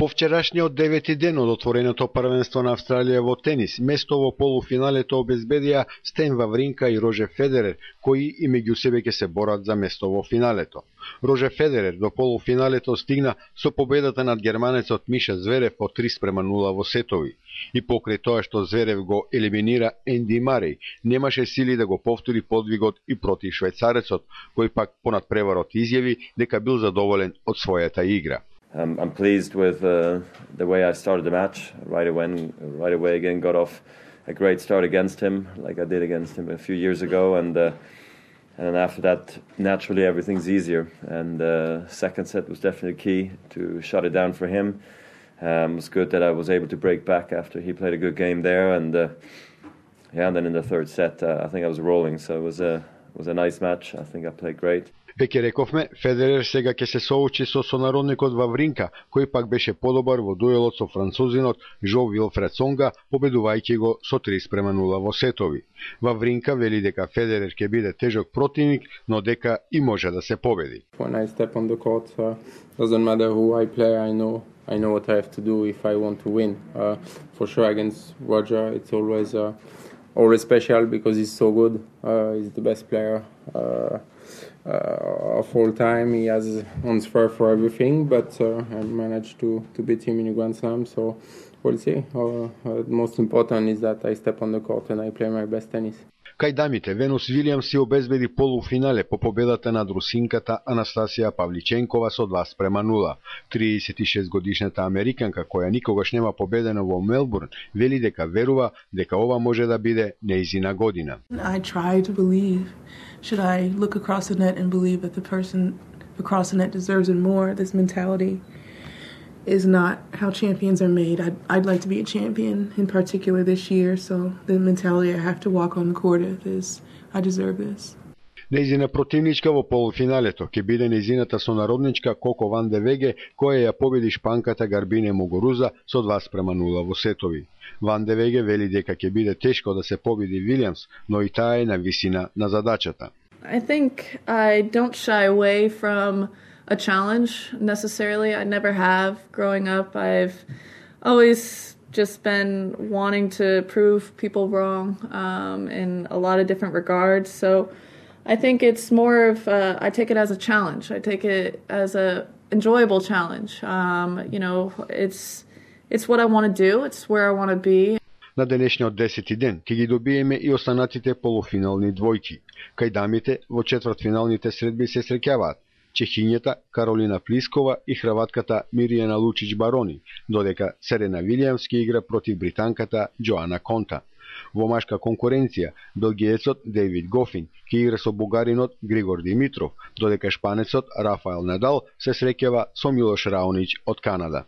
По вчерашниот девети ден од отвореното првенство на Австралија во тенис, место во полуфиналето обезбедија Стен Вавринка и Рожер Федерер, кои и меѓу себе ќе се борат за место во финалето. Рожер Федерер до полуфиналето стигна со победата над германецот Миша Зверев по 3:0 во сетови. И покрај тоа што Зверев го елиминира Енди Мареј, немаше сили да го повтори подвигот и против швајцарецот, кој пак понад преварот изјави дека бил задоволен од својата игра. I'm pleased with the way I started the match. Right away again got off a great start against him, like I did against him a few years ago, and then after that, naturally everything's easier. And second set was definitely key to shut it down for him. It was good that I was able to break back after he played a good game there, and and then in the third set, I think I was rolling. So it was a nice match. I think I played great. Веќе рековме, Федерер сега ќе се соочи со сонародникот Вавринка, кој пак беше подобар во дуелот со французинот Жо Вилфред Сонга, победувајќи го со 3:0 во сетови. Вавринка вели дека Федерер ќе биде тежок противник, но дека и може да се победи. When I step on the court, doesn't matter who I play, I know what I have to do if I want to win. For sure against Roger, it's always special because he's so good. He's the best player of all time. He has answer for everything, but I managed to beat him in a Grand Slam, so we'll see. The most important is that I step on the court and I play my best tennis. Кај дамите, Венус Вилијамс си обезбеди полуфинале по победата над русинката Анастасија Павличенкова со 2:0. 36-годишната американка, која никогаш нема победена во Мелбурн, вели дека верува дека ова може да биде нејзина година. I try to believe. Should I look across the net and believe that the person across the net deserves it more? This mentality is not how champions are made. I'd like to be a champion in particular this year, so the mentality I have to walk on the court is I deserve this. Нејзина противничка во полуфиналето ќе биде нејзината сонародничка Коко Ван де Веге, која ја победи шпанката Гарбине Мугуруза со 2:0 во сетови. Ван де Веге вели дека ќе биде тешко да се победи Вилијамс, но и таа е на висина на задачата. I think I don't shy away from a challenge necessarily. I never have. Growing up, I've always just been wanting to prove people wrong in a lot of different regards. So I think it's more of I take it as a challenge. I take it as a enjoyable challenge. It's what I want to do. It's where I want to be. На денешниот 10-ти ден ќе ги добиеме и останатите полуфинални двојки. Кај дамите во четвртфиналните средби се среќаваат чехињата Каролина Плискова и хрватката Миријана Лучич Барони, додека Серена Вилијамс ќе игра против британката Џоана Конта. Во машка конкуренција, белгиецот Дейвид Гофин ќе игра со бугаринот Григор Димитров, додека шпанецот Рафаел Надал се среќава со Милош Раонич од Канада.